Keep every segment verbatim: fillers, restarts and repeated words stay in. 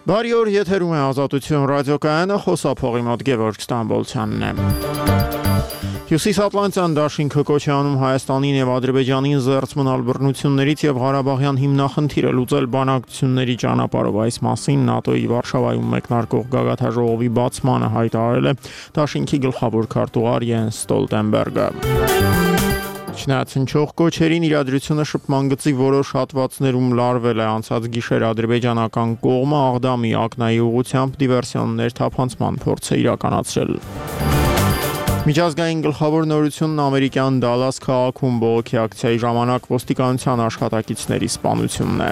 Բարի օր, եթերում է Ազատություն ռադիոկայանը, խոսափողի մոտ Գևորգ Ստամբոլցյանն է։ Հյուսիսատլանտյան դաշինքը կոչ է անում Հայաստանին եւ Ադրբեջանին զերծ մնալ բռնություններից եւ Ղարաբաղյան հիմնախնդիրը լուծել բանակցությունների ճանապարհով։ Այս մասին ՆԱՏՕ-ի Վարշավայում մեկնարկող գագաթնաժողովի բացմանը հայտարարել է դաշինքի գլխավոր քարտուղար Յենս Ստոլտենբերգը։ Չնայած հնչող կոչերին իրադրությունը շփման գծի որոշ հատվածներում լարվել է անցած գիշեր ադրբեջանական կողմը Աղդամի ակնայի ուղղությամբ դիվերսիոններ թափանցման փորձ է իրականացրել։ Միջազգային գլխավոր նորությունն ամերիկյան Դալաս քաղաքում բողոքի ակցիայի ժամանակ ոստիկանության աշխատակիցների սպանությունն է։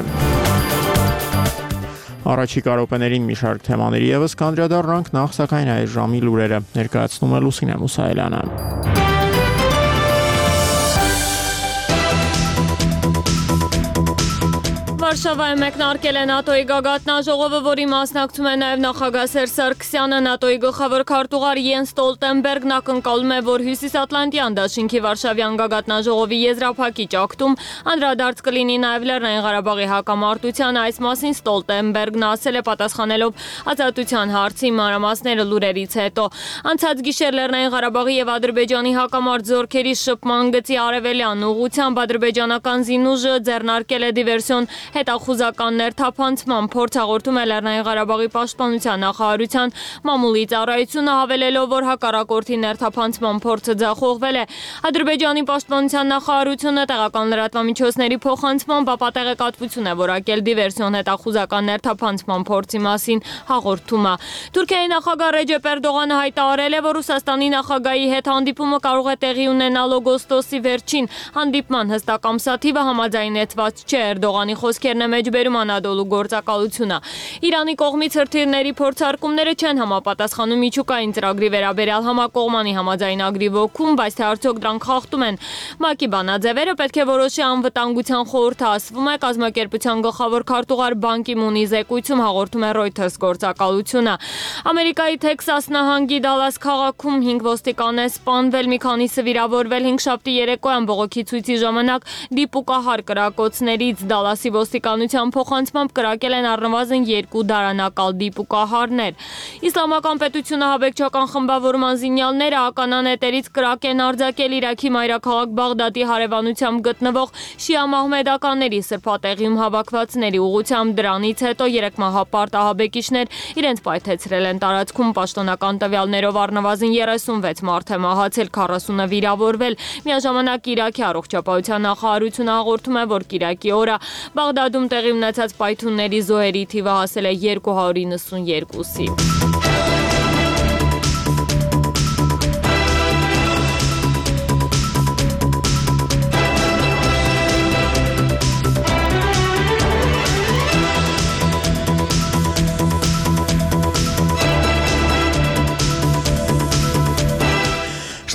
Առաջիկա րոպեներին մի շարք թեմաների ևս կանդրադառնանք, նախ սակայն այս ժամի լուրերը ներկայացնում է Լուսինե Մուսայելյանը։ Վարշավայում մեկնարկել է ՆԱՏՕ-ի գագաթնաժողովը, որի մասնակցում է նաև նախագահ Սերժ Սարգսյանը։ ՆԱՏՕ-ի գլխավոր քարտուղար Յենս Ստոլտենբերգն ակնկալում է, որ Հյուսիսատլանտյան դաշինքի Վարշավյան գագաթնաժողովի եզրափակիչ ակտում անդրադարձ կլինի նաև Լեռնային Ղարաբաղի հակամարտության։ Այս մասին Ստոլտենբերգն ասել է պատասխանելով Ազատության հարցի մանրամասները լուրերից հետո։ Անցած գիշեր Լեռնային Ղարաբաղի եւ Ադրբեջանի հակամարտ զորքերի շփման գծի արևելյան ուղղությամբ ադրբեջանական զինուժը ձեռնարկել է դիվերսիոն հետախուզականներ թափանցման փորձ, հաղորդում է Լեռնային Ղարաբաղի պաշտպանության նախարարության մամուլի ծառայությունը, հավելելով, որ հակառակորդի ներթափանցման փորձը ձախողվել է։ Ադրբեջանի պաշտպանության նախարարությունը տեղական լրատվամիջոցների փոխանցմամբ ապատեղեկատվություն է որակել դիվերսիոն հետախուզական ներթափանցման փորձի մասին հաղորդումը։ Թուրքիայի նախագահ Ռեջեփ Էրդողանը հայտարարել է, որ Ռուսաստանի նախագահի հետ հանդիպումը կարող է տեղի ունենալ օգոստոսի վերջին։ Հանդիպման հստակ ամսաթիվը համաձայնեցված չէ։ Էրդողանի խոսքերն է մեջբերում Անադոլու գործակալությունը։ Իրանի կողմից հրթիռների փորձարկումները չեն համապատասխանում միջուկային ծրագրի վերաբերյալ համակողմանի համաձայնագրի ոգուն, բայց թե արդյոք դրանք խախտում են ՄԱԿ-ի բանաձևերը, պետք է որոշի անվտանգության խորհուրդը, ասվում է կազմակերպության գլխավոր քարտուղար Բան Կի Մունի զեկույցում, հաղորդում է Reuters գործակալությունը։ Ամերիկայի Թեքսաս նահանգի Դալաս քաղաքում հինգ ոստիկան է սպանվել, մի քանիսը վիրավորվել։ Հինգշաբթի երեկոյան բողոքի ցույցի ժամանակ դիպուկահար կրակոցներից Դալասի ոստիկանության փոխանցմամբ կրակել են առնվազն երկու դարանակալ դիպուկահարներ։ Իսլամական պետությունը հաբեկչական խմբավորման զինյալները ականանետերից կրակ են արձակել Իրաքի մայրաքաղաք Բաղդադի հարևանությամբ գտնվող շիա մահմեդականների սրբատեղիում հավաքվածների ուղղությամբ։ Դրանից հետո երեք մահապարտ ահաբեկիչներ իրենց պայթեցրել են տարածքում։ Պաշտոնական տվյալներով առնվազն երեսունվեց մարդ է մահացել, քառասունը վիրավորվել։ Միաժամանակ Իրաքի առողջապահության նախարարությունը հաղորդում է, որ կիրակի օրը Բաղդադում տեղի ունեցած պայթյունների զոհերի թիվը հասել է երկու հարյուր իննսունյոթի։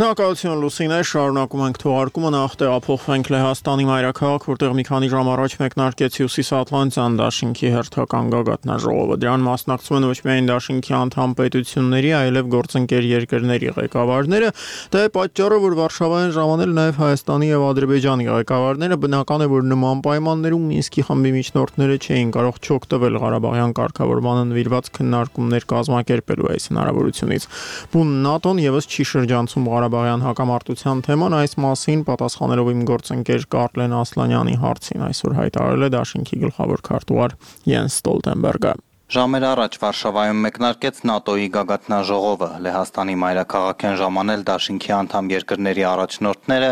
Շնորհակալություն Լուսինե, շարունակում ենք թողարկումը, նախ տեղափոխվենք Լեհաստանի մայրաքաղաք, որտեղ մի քանի ժամ առաջ մեկնարկեց Հյուսիսատլանտյան դաշինքի հերթական գագաթնաժողովը։ Դրան մասնակցում են ոչ միայն դաշինքի անդամ պետությունների, այլև գործընկեր երկրների ղեկավարները։ Դա է պատճառը, որ Վարշավայում ժամանել նաև Հայաստանի եւ Ադրբեջանի ղեկավարները։ Բնական է, որ նման պայմաններում Մինսկի խմբի միջնորդները չէին կարող չօգտվել Ղարաբաղյան կարգավորմանը նվիրված քննարկումներ կազմակերպելու այս հնարավորությունից։ Բուն ՆԱՏՕ-ն եւս չի շրջանցում Ղարաբաղյան հակամարտության թեման, այս մասին պատասխանելով իմ գործընկեր Կարլեն Ասլանյանի հարցին այսօր հայտարարել է դաշինքի գլխավոր քարտուղար Յենս Ստոլտենբերգը։ Ժամեր առաջ Վարշավայում մեկնարկեց ՆԱՏՕ-ի գագաթնաժողովը։ Լեհաստանի մայրաքաղաք են ժամանել դաշինքի անդամ երկրների առաջնորդները,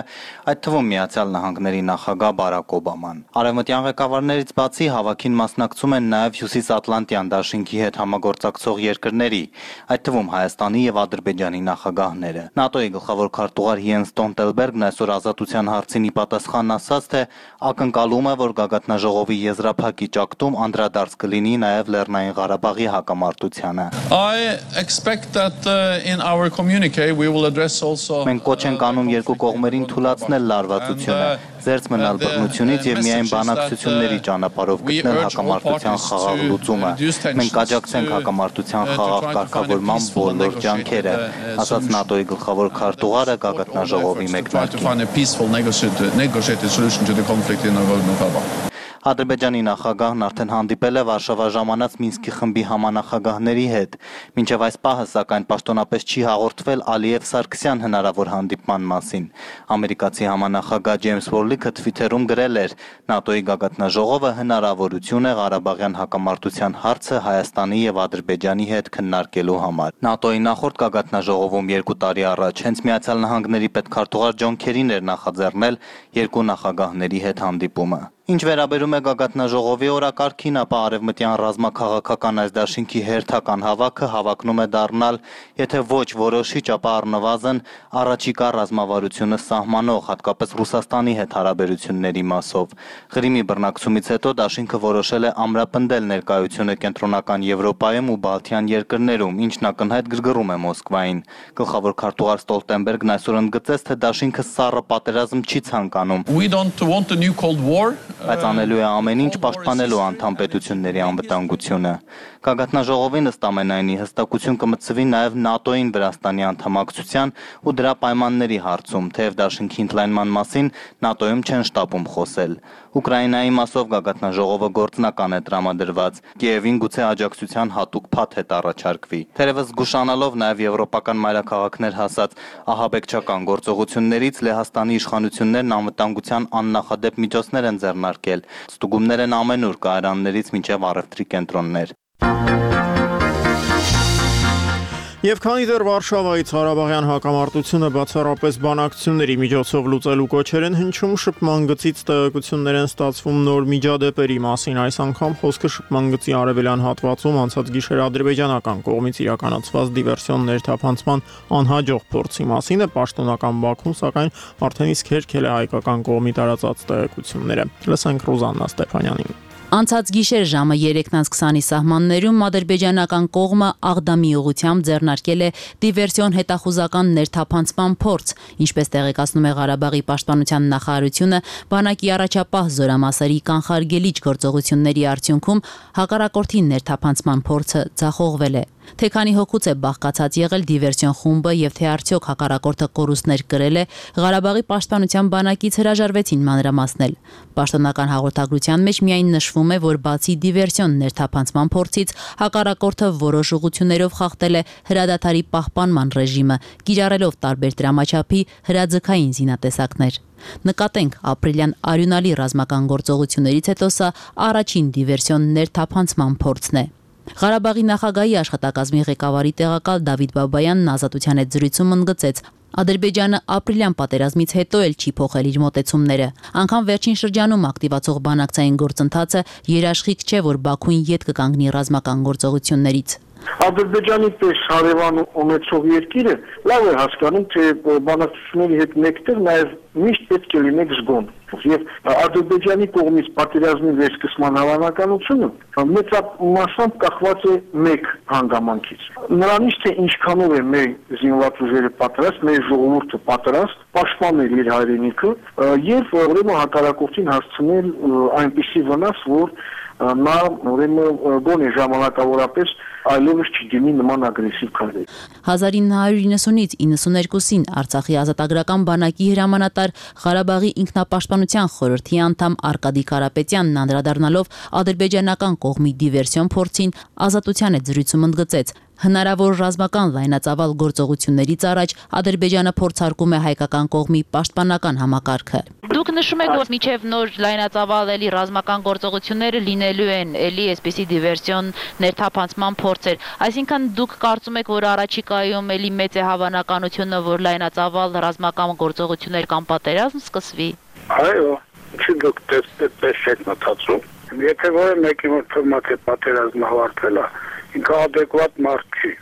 այդ թվում Միացյալ Նահանգների նախագահ Բարակ Օբաման։ Արևմտյան ղեկավարներից բացի հավաքին մասնակցում են նաև Հյուսիսատլանտյան դաշինքի հետ համագործակցող երկրների, այդ թվում Հայաստանի եւ Ադրբեջանի նախագահները։ ՆԱՏՕ-ի գլխավոր քարտուղար Յենս Ստոլտենբերգն այսօր Ազատության հարցին ի պատասխան ասաց, թե ակնկալում է, որ գագաթնաժողովի եզրափակիչ ակտում անդրադարձ կլինի նաև Լեռնային Ղարաբաղի հակամարտությանը։ Մենք կոչ ենք անում երկու կողմերին թույլատրել լարվածությունը, զերծ մնալ բռնությունից եւ միայն բանակցությունների ճանապարհով գտնել հակամարտության խաղաղ լուծումը։ Մենք կաջակցենք հակամարտության խաղաղ կարգավորման բոլոր ջանքերը, ասաց ՆԱՏՕ-ի գլխավոր քարտուղարը գագաթնաժողովի մեկնարկին։ Ադրբեջանի նախագահն արդեն հանդիպել է Վարշավա ժամանած Մինսկի խմբի համանախագահների հետ։ Մինչև այս պահը, սակայն, պաշտոնապես չի հաղորդվել Ալիև-Սարգսյան հնարավոր հանդիպման մասին։ Ամերիկացի համանախագահ Ջեյմս Վորլիքը Թվիթերում գրել էր. ՆԱՏՕ-ի գագաթնաժողովը հնարավորություն է Ղարաբաղյան հակամարտության հարցը Հայաստանի եւ Ադրբեջանի հետ քննարկելու համար։ ՆԱՏՕ-ի նախորդ գագաթնաժողովում երկու տարի առաջ հենց Միացյալ Նահանգների պետքարտուղար Ջոն Քերին էր նախաձեռնել երկու նախագահների հետ հանդիպումը։ Ինչ վերաբերում է գագաթնաժողովի օրակարգին, ապա արևմտյան ռազմաքաղաքական այս դաշինքի հերթական հավաքը հավակնում է դառնալ, եթե ոչ որոշիչ, ապա առնվազն առաջիկա ռազմավարությունը սահմանող, հատկապես Ռուսաստանի հետ հարաբերությունների մասով։ Ղրիմի բռնակցումից հետո դաշինքը որոշել է ամրապնդել ներկայությունը կենտրոնական Եվրոպայում ու Բալթյան երկրներում, ինչն ակնհայտ գրգռում է Մոսկվային։ Գլխավոր քարտուղար Ստոլտենբերգն այսօր ընդգծեց, թե դաշինքը սառը պատերազմ չի ցանկանում։ We don't want a new Cold War. Բայց անելու է ամեն ինչ պաշտպանելու անդամ պետությունների անվտանգությունը։ Գագաթնաժողովին ըստ ամենայնի հստակություն կմտցվի նաև ՆԱՏՕ-ին Վրաստանի անդամակցության ու դրա պայմանների հարցում, թեև դաշինքի ընդլայնման մասին ՆԱՏՕ-ում չեն շտապում խոսել։ Ուկրաինայի մասով գագաթնաժողովը գործնական է տրամադրված, Կիևին գուցե աջակցության հատուկ փաթ հետ առաջարկվի։ Թերևս զգուշանալով նաև եվրոպական մայրաքաղաքներ հասած ահաբեկչական գործողություններից Լեհաստանի իշխանություններն անվտանգության աննախադեպ միջոցներ են ձեռնարկել, ստուգումներ են ամենուր կայարաններից մինչև առևտրի կենտրոններ։ Եվ քանի դեռ Վարշավայից Ղարաբաղյան հակամարտությունը բացառապես բանակցությունների միջոցով լուծելու կոչեր են հնչում, շփման գծից տեղեկություններ են ստացվում նոր միջադեպերի մասին։ Այս անգամ խոսքը շփման գծի արևելյան հատվածում անցած գիշեր ադրբեջանական կողմից իրականացված դիվերսիոն ներթափանցման անհաջող փորձի մասին է։ Պաշտոնական Բաքուն, սակայն, արդեն իսկ հերքել է հայկական կողմի տարածած տեղեկությունները։ Լսենք Ռուզաննա Ստեփանյանին։ Անցած գիշեր ժամը երեքն քսանի սահմաններում ադրբեջանական կողմը Աղդամի ուղղությամբ ձեռնարկել է դիվերսիոն հետախուզական ներթափանցման փորձ, ինչպես տեղեկացնում է Ղարաբաղի պաշտպանության նախարարությունը, բանակի առաջապահ զորամասերի կանխարգելիչ գործողությունների արդյունքում հակառակորդի ներթափանցման փորձը ձախողվել է։ Թե քանի հոգուց է բաղկացած եղել դիվերսիոն խումբը եւ թե արդյոք հակառակորդը կորուստներ կրել է, Ղարաբաղի պաշտպանության բանակից հրաժարվեցին մանրամասնել։ Պաշտոնական հաղորդագրության մեջ միայն նշվում է, որ բացի դիվերսիոն ներթափանցման փորձից, հակառակորդը որոշ ուղղություններով խախտել է հրադադարի պահպանման ռեժիմը, կիրառելով տարբեր դրամաչափի հրաձգային զինատեսակներ։ Նկատենք, ապրիլյան արյունալի ռազմական գործողություններից հետո սա առաջին դիվերսիոն ներթափանցման փորձն է։ Ղարաբաղի նախագահի աշխատակազմի ղեկավարի տեղակալ Դավիթ Բաբայանն Ազատության հետ զրույցում ընդգծեց. Ադրբեջանը ապրիլյան պատերազմից հետո էլ չի փոխել իր մոտեցումները։ Անգամ վերջին շրջանում ակտիվացող բանակցային գործընթացը երաշխիք չէ, որ Բաքուն ետ կկանգնի ռազմական գործողություններից։ Ադրբեջանի պես հարևան ունեցող երկիրը լավ է հասկանում, թե բանակցությունների հետ մեկտեղ նաև միշտ պետք է լինեք զգոն։ Եվ Ադրբեջանի կողմից պատերազմի վերսկսման հավանականությունը մեծամասամբ կախված է մեկ հանգամանքից։ Նրանից, թե ինչքանով է մեր զինված ուժերը պատրաստ, մեր ժողովուրդը պատրաստ պաշտպանել իր հայրենիքը եւ ուրեմն հակառակորդին հասցնել այնպիսի վնաս, որ նա ուրեմն գոնե ժամանակավորապես այլևս չդիմի նման ագրեսիվ քայլերի։ հազար ինը հարյուր իննսունից իննսուներկուսին Արցախի ազատագրական բանակի հրամանատար Ղարաբաղի ինքնապաշտպանության խորհրդի անդամ Արկադի Կարապետյանն անդրադառնալով ադրբեջանական կողմի դիվերսիոն փորձին Ազատության հետ զրույցում ընդգծեց. հնարավոր ռազմական լայնածավալ գործողություններից առաջ Ադրբեջանը փորձարկում է հայկական կողմի պաշտպանական համակարգը։ Դուք նշում եք, որ միջև նոր լայնածավալ էլի ռազմական գործողությունները լինելու են, էլի այսպիսի դիվերսիոն ներթափանցման փորձեր։ Այսինքն դուք կարծում եք, որ առաջիկայում էլի մեծ է հավանականությունը, որ լայնածավալ ռազմական գործողություններ կամ պատերազմ սկսվի։ Այո, չի դուք դες եք մտածում։ Եթե որը մեկի մոտ թվում է պատերազմը ավարտվել է, ինքը adekvat մարդ չի։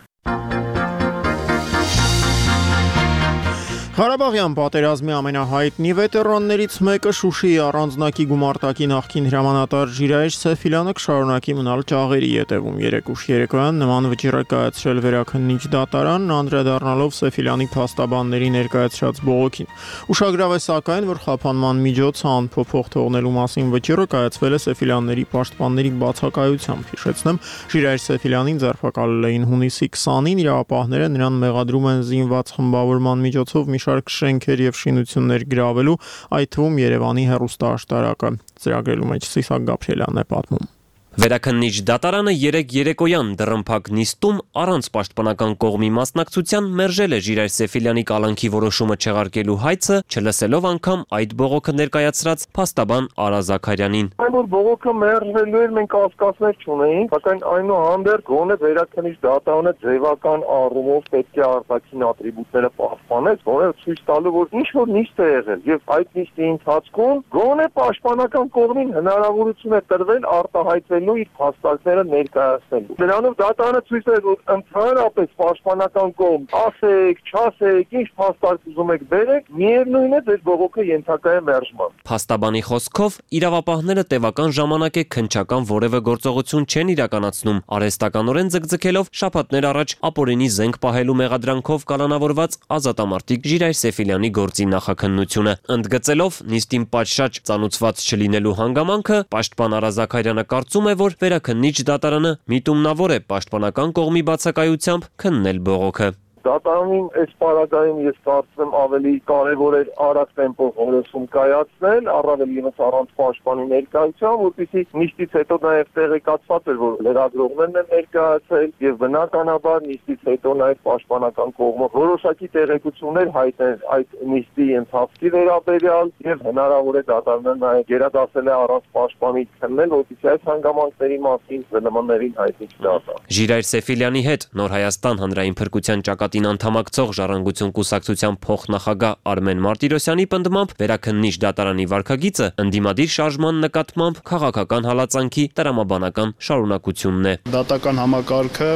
Ղարաբաղյան պատերազմի ամենահայտնի վետերաններից մեկը Շուշիի առանձնակի գումարտակի նախկին հրամանատար Ժիրայր Սեֆիլյանը կշարունակի մնալ ճաղերի ետևում։ Երեկ ուշ երեկոյան նման վճիռ է կայացրել վերաքննիչ դատարանն, անդրադառնալով Սեֆիլյանի փաստաբանների ներկայացրած բողոքին։ Ուշագրավ է սակայն, որ խափանման միջոցը անփոփոխ թողնելու մասին վճիռը կայացվել է Սեֆիլյանների պաշտպանների բացակայությամբ։ Հիշեցնեմ, Ժիրայր Սեֆիլյանին ձերբակալել էին հունիսի քսանին, իրավապահները նրան մեղադրում են զինված խմբավորման միջոցով մի շարք շենքեր եւ շինություններ գրավելու, այդ թվում Երևանի հեռուստաաշտարակը։ Ծրագրելու մեջ Սիսակ Գաբրիելյանն է պատմում։ Վերաքննիչ դատարանը երեկ երեկոյան դռնփակ նիստում առանց պաշտպանական կողմի մասնակցության մերժել է Ժիրայր Սեֆիլյանի կալանքի որոշումը չեղարկելու հայցը, չլսելով անգամ այդ բողոքը ներկայացրած փաստաբան Արա Զաքարյանին։ Այն որ բողոքը մերժվելու էր, մենք կասկածներ չունեինք, սակայն այնուհանդերձ գոնե վերաքննիչ դատարանը ձևական առումով պետք է արտաքին ատրիբուտները պահպանեց, որը ցույց տալու որ ինչ որ նիստ է եղել եւ այդ նիստի ընթացքում գոնե պաշտպանական կողմին հնարավորություն է տրվել արտահայտվել իր փաստարկները ներկայացնելու։ Դրանով դատարանը ցույց է որ ընդհանրապես պաշտպանական կողմ ասեք, չասեք, ինչ փաստարկ ուզում եք բերեք, միևնույն է ձեր բողոքը ենթակա է մերժման։ Փաստաբանի խոսքով իրավապահները տևական ժամանակ է քննչական որևէ գործողություն չեն իրականացնում, արհեստականորեն ձգձգելով շաբաթներ առաջ ապօրինի զենք պահելու մեղադրանքով կալանավորված ազատամարտիկ Ժիրայր Սեֆիլյանի գործի նախաքննությունը։ Ընդգծելով նիստին պատշաճ ծանուցված չլինելու հանգամանքը, պաշտպան Արա Զաքարյանը կարծում է, որ վերաքննիչ դատարանը միտումնավոր է պաշտպանական կողմի բացակայությամբ քննել բողոքը։ Դատարանին այս պարագայում ես կարծում եմ ավելի կարևոր էր արագ տեմպով որոշում կայացնել, առավել ևս առանց պաշտպանի ներկայության, որպեսզի նիստից հետո նաև տեղեկացված էր, որ լրագրողներն են ներկայացել եւ բնականաբար նիստից հետո նաև պաշտպանական կողմը որոշակի տեղեկություններ հայտնել այդ նիստի ընթացքի վերաբերյալ եւ հնարավոր է դատարանը նաև գերադասել է առանց պաշտպանի քննել, որպեսզի այս հանգամանքների մասին զնմաններին հայտնի չդառնա։ Ժիրայր Սեֆիլյանի հետ Նոր Հայաստան հանրային փրկության ճակատին անդամակցող Ժառանգություն կուսակցության փոխնախագահ Արմեն Մարտիրոսյանի պնդմամբ վերաքննիչ դատարանի վարքագիծը ընդդիմադիր շարժման նկատմամբ քաղաքական հալածանքի տրամաբանական շարունակությունն է։ Դատական համակարգը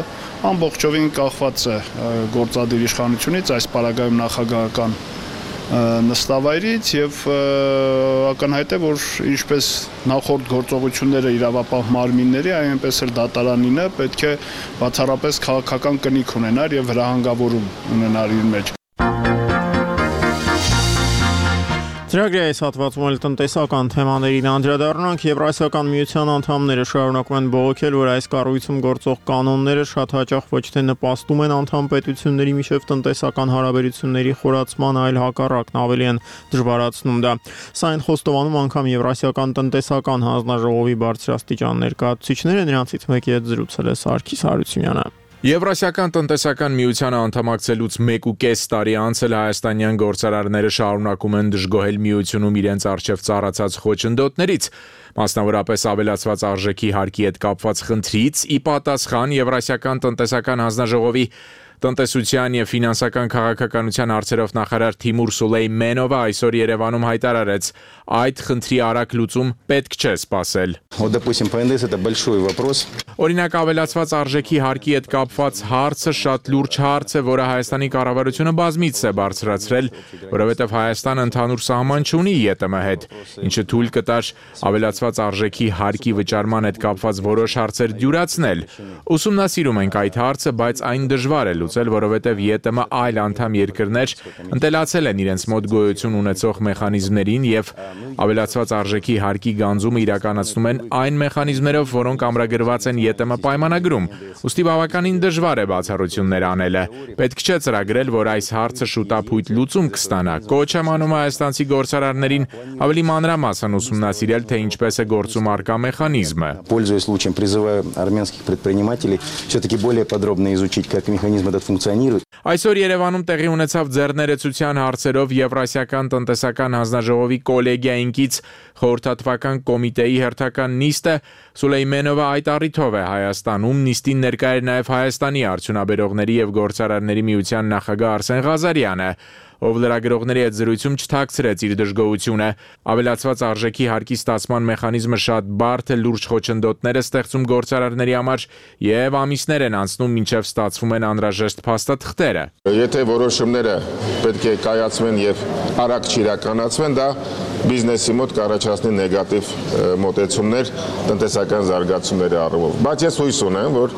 ամբողջովին կախված է գործադիր իշխանությունից, այս պարագայում նախագահական նստավայրից եւ ակնհայտ է, որ ինչպես նախորդ գործողությունները իրավապահ մարմինների, այնպես էլ դատարանինը պետք է բացառապես քաղաքական կնիք ունենար եւ հրահանգավորում ունենար իր մեջ։ Ծրագրի այս հատվածում էլ տնտեսական թեմաներին անդրադառնանք։ Եվրասիական միության անդամները շարունակում են բողոքել, որ այս կառույցում գործող կանոնները շատ հաճախ ոչ թե նպաստում են անդամ պետությունների միջև տնտեսական հարաբերությունների խորացման, այլ հակառակն ավելի են դժվարացնում դա։ Սա այն խոստովանում անգամ Եվրասիական տնտեսական հանձնաժողովի բարձրաստիճան ներկայացուցիչները, նրանցից մեկի հետ զրուցել է Սարգիս Հարությունյանը։ Եվրասիական տնտեսական միությանը անդամակցելուց մեկ ու կես տարի անց էլ հայաստանյան գործարարները շարունակում են դժգոհել միությունում իրենց առջև ծառացած խոչընդոտներից, մասնավորապես ավելացված արժեքի հարկի հետ կապված խնդրից, ի պատասխան Եվրասիական տնտեսական հանձնաժողովի տնտեսության եւ ֆինանսական քաղաքականության հարցերով նախարար Թիմուր Սուլեյմենովը այսօր Երևանում հայտարարեց, այդ խնդրի արագ լուծում պետք չէ սպասել։ Օրինակ ավելացված արժեքի հարկի հետ կապված հարցը շատ լուրջ հարց է, որը Հայաստանի կառավարությունը բազմիցս է բարձրացրել, որովհետև Հայաստանը ընդհանուր սահման չունի ԵՏՄ հետ, ինչը թույլ կտար ավելացված արժեքի հարկի վճարման հետ կապված որոշ հարցեր դյուրացնել։ Ուսումնասիրում ենք այդ հարցը, բայց այն դժվար է լուծել, որովհետև ԵՏՄ այլ անդամ երկրներ ընտելացել են իրենց մոտ գոյություն ունեցող մեխանիզմներին եւ ավելացված արժեքի հարկի գանձումը իրականացնում են այն մեխանիզմներով, որոնք ամրագրված են ԵՏՄ պայմանագրում, ուստի բավականին դժվար է բացառություններ անելը։ Պետք չէ ծրագրել, որ այս հարցը շուտապույտ լուծում կստանա։ Կոչ եմ անում հայաստանցի գործարարներին ավելի մանրամասն ուսումնասիրել, թե ինչպես է գործում առկա մեխանիզմը։ Пользуясь случаем, призываю армянских предпринимателей все-таки более подробно изучить, как механизм этот функционирует. Այսօր Երևանում տեղի ունեցավ ձեռներեցության հարցերով Եվրասիական տնտեսական հանձնաժողովի կոլեգիայինքից խորհրդատվական կոմիտեի հերթական նիստը Սուլեյմենովը այդ առիթով է Հայաստանում նիստին ներկա էր նաև Հայաստանի արդյունաբերողների եւ գործարարների միության նախագահ Արսեն Ղազարյանը, ով լրագրողների հետ զրույցում չթաքցրեց իր դժգոհությունը։ Ավելացված արժեքի հարկի ստացման մեխանիզմը շատ բարդ է, լուրջ խոչընդոտներ է ստեղծում գործարարների համար եւ ամիսներ են անցնում, մինչեւ ստացվում են անհրաժեշտ փաստաթղթերը։ Եթե որոշումները պետք է կայացվեն եւ արագ չիրականացվեն, դա բիզնեսի մոտ կառաջացնի նեգատիվ մոտեցումներ տնտեսական զարգացումների առումով։ Բայց ես հույս ունեմ, որ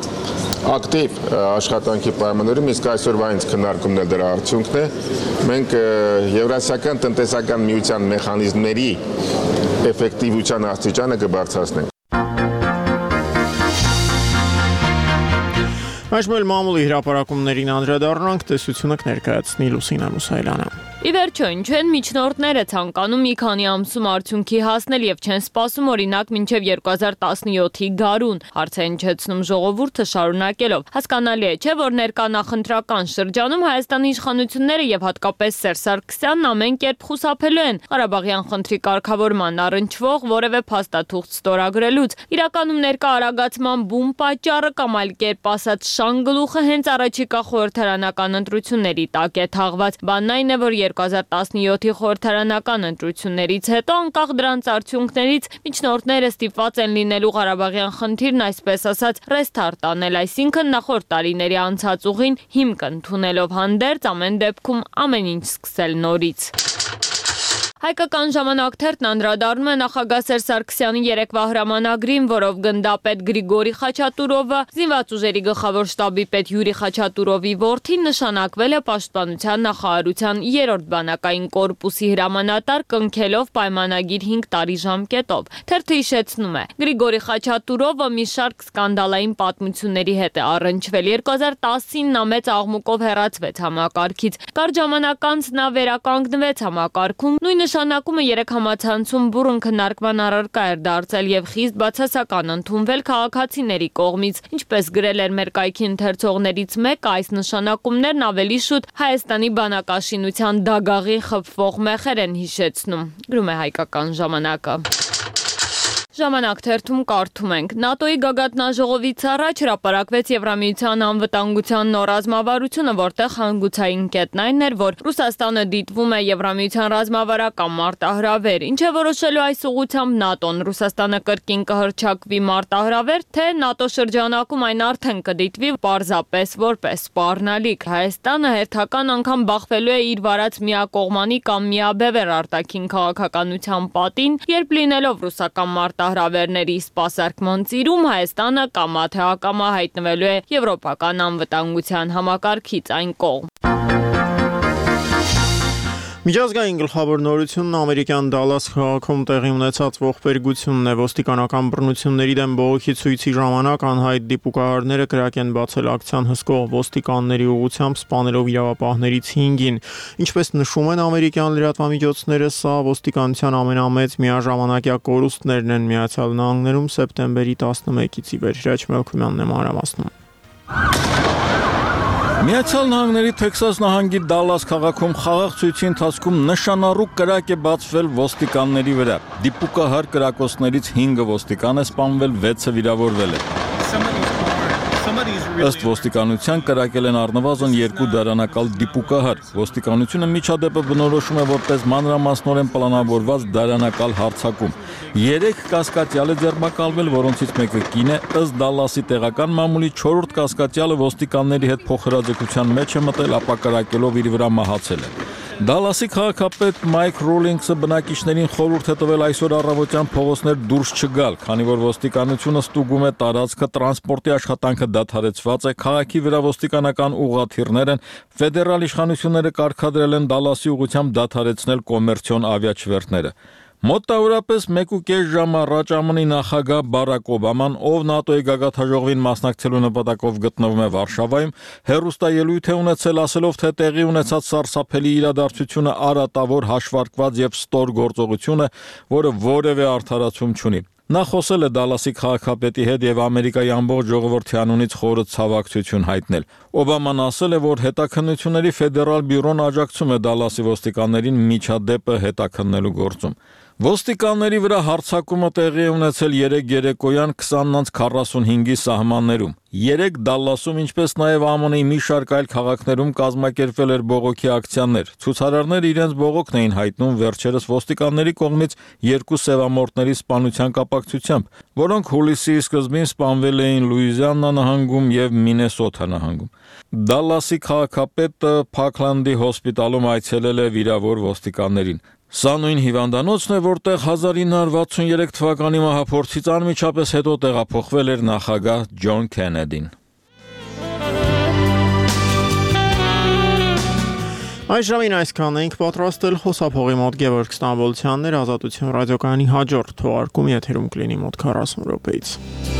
ակտիվ աշխատանքի պայմաններում իսկ այսօրվա ինձ քննարկումն է դրա արդյունքն է։ Մենք Եվրասիական տնտեսական միության մեխանիզմների էֆեկտիվության աստիճանը կբարձրացնենք։ Այժմ էլ մամուլի հրապարակումներին անդրադառնանք, տեսությունը կներկայացնի Լուսինա Մուսայելյանը։ Ի վերջո, ինչ են միջնորդները ցանկանում մի քանի ամսում արդյունքի հասնել եւ չեն սպասում օրինակ մինչեւ երկու հազար տասնյոթի գարուն, հարց է հնչեցնում ժողովուրդը շարունակելով։ Հասկանալի է, չէ՞ որ ներկա նախընտրական շրջանում Հայաստանի իշխանությունները եւ հատկապես Սերժ Սարգսյանն ամեն կերպ խուսափելու են Ղարաբաղյան խնդրի կարգավորման առնչվող որևէ փաստաթուղթ ստորագրելուց։ Իրականում ներկա արագացման բում պատճառը կամ այլ կերպ ասած շանգլուխը հենց առաջիկա խորհրդարանական ընտրությունների տակ է թաղված։ Բանն այն է, որ երկու հազար տասնյոթի խորհրդարանական ընտրություններից հետո անկախ դրանց արդյունքներից միջնորդները ստիպված են լինելու Ղարաբաղյան խնդիրն այսպես ասած ռեստարտ անել, այսինքն նախորդ տարիների անցած ուղին հիմք ընդունելով հանդերձ ամեն դեպքում ամեն ինչ սկսել նորից։ Հայկական ժամանակ թերթն անդրադառնում է նախագահ Սերժ Սարգսյանի երեկվա հրամանագրին, որով գնդապետ Գրիգորի Խաչատուրովը, զինված ուժերի գլխավոր շտաբի պետ Յուրի Խաչատուրովի որդին նշանակվել է Պաշտպանության նախարարության երրորդ բանակային կորպուսի հրամանատար, կնքելով պայմանագիր հինգ տարի ժամկետով։ Թերթը հիշեցնում է. Գրիգորի Խաչատուրովը մի շարք սկանդալային պատմությունների հետ է առնչվել։ երկու հազար տասին նա մեծ աղմուկով հեռացվեց համակարգից։ Կարճ ժամանակ անց նա վերականգնվեց համակարգում, նույն նշանակումը երեք համացանցում բուռն քննարկման առարկա էր դարձել եւ խիստ բացասական ընդունվել քաղաքացիների կողմից։ Ինչպես գրել էր մեր կայքի ընթերցողներից մեկը, այս նշանակումներն ավելի շուտ Հայաստանի բանակաշինության դագաղի խփվող մեխեր են հիշեցնում։ Գրում է Հայկական ժամանակը։ Ժամանակ թերթում կարդում ենք. ՆԱՏՕ-ի գագաթնաժողովից առաջ հրապարակվեց Եվրամիության անվտանգության նոր ռազմավարությունը, որտեղ հանգուցային կետն այն էր, որ Ռուսաստանը դիտվում է Եվրամիության ռազմավարական մարտահրավեր, ինչ է որոշելու այս ուղղությամբ ՆԱՏՕ-ն։ Ռուսաստանը կրկին կհռչակվի մարտահրավեր, թե ՆԱՏՕ շրջանակում այն արդեն կդիտվի պարզապես որպես սպառնալիք։ Հայաստանը հերթական անգամ բախվելու է իր վարած միակողմանի կամ միաբևեռ արտաքին քաղաքականության պատին, երբ լինելով ռուսական մարտահրավեր հրավերների սպասարկման ծիրում Հայաստանը կամա թե ակամա հայտնվելու է եվրոպական անվտանգության համակարգից այն կողմ։ Միջազգային գլխավոր նորությունն ամերիկյան Դալլաս քաղաքում տեղի ունեցած ողբերգությունն է։ Ոստիկանական բռնությունների դեմ բողոքի ցույցի ժամանակ անհայտ դիպուկահարները կրակ են բացել ակցիան հսկող ոստիկանների ուղղությամբ, սպանելով իրավապահներից հինգին։ Ինչպես նշում են ամերիկյան լրատվամիջոցները, սա ոստիկանության ամենամեծ միաժամանակյա կորուստներն են Միացյալ Նահանգներում սեպտեմբերի տասնմեկից ի վեր։ Հրաչ Մելքումյանն է մանրամասնում։ Միացյալ Նահանգների Թեքսաս նահանգի Դալլաս քաղաքում խաղաղ ցույցի ընթացքում նշանառու կրակ է բացվել ոստիկանների վրա։ Դիպուկահար կրակոցներից հինգը ոստիկան է սպանվել, վեցը վիրավորվել է։ Ըստ ոստիկանության կրակել են առնվազն երկու դարանակալ դիպուկահար։ Ոստիկանությունը միջադեպը բնորոշում է որպես մանրամասնորեն պլանավորված դարանակալ հարձակում։ Երեք կասկածյալ է ձերբակալվել, որոնցից մեկը կին է, ըստ Դալլասի տեղական մամուլի չորրորդ կասկածյալը ոստիկանների հետ փոխհրաձգության մեջ է մտել, ապա կրակելով իր վրա մահացել է։ Դալլասի քաղաքապետ Մայք Ռոլինգսը բնակիչներին խորհուրդ է տվել այսօր առավոտյան փողոցներ դուրս չգալ, քանի որ ոստիկանությունը ստուգում է տարածքը, տրանսպորտի աշխատանքը դադարեցված է, քաղաքի վրա ոստիկանական ուղղաթիռներ են, ֆեդերալ իշխանությունները կարգադրել են Դալլասի ուղղությամբ դադարեցնել կոմերցիոն ավիաչվերթները։ Մոտավորապես մեկ ու կես ժամ առաջ ԱՄՆ-ի նախագահ Բարակ Օբաման, ով ՆԱՏՕ-ի գագաթնաժողովին մասնակցելու նպատակով գտնվում է Վարշավայում, հեռուստաելույթ է ունեցել, ասելով, թե տեղի ունեցած սարսափելի իրադարձությունը արատավոր, հաշվարկված եւ ստոր գործողություն է, որը որևէ արդարացում չունի։ Նա խոսել է Դալլասի քաղաքապետի հետ եւ Ամերիկայի ամբողջ ժողովրդի անունից խորը ցավակցություն հայտնել։ Օբաման ասել է, որ հետաքննությունների ֆեդերալ բյուրոն աջակցում է Դալլասի ոստիկաններին միջադեպը հետաքննելու գործում։ Ոստիկանների վրա հարձակումը տեղի է ունեցել երեկ երեկոյան քսանից քառասունհինգի սահմաններում։ Երեկ Դալլասում, ինչպես նաև ԱՄՆ-ի մի շարք այլ քաղաքներում կազմակերպվել էր բողոքի ակցիաներ։ Ցուցարարները իրենց բողոքն էին հայտնում վերջերս ոստիկանների կողմից երկու սևամորթների սպանության կապակցությամբ, որոնք հուլիսի սկզբին սպանվել էին Լուիզիանա նահանգում եւ Մինեսոթա նահանգում։ Դալլասի քաղաքապետը Փաքլանդի հոսպիտալում այցելել է վիրավոր ոստիկաններին։ Սա նույն հիվանդանոցն է, որտեղ հազար ինը հարյուր վաթսուներեք թվականի մահափորձից անմիջապես հետո տեղափոխվել էր նախագահ Ջոն Քենեդին։ Այս ժամին այսքան ենք պատրաստել, խոսափողի մոտ Գևորգ Ստամբոլցյանն էր, Ազատություն ռադիոկայանի հաջորդ թողարկումը եթերում կլինի մոտ քառասուն րոպեից։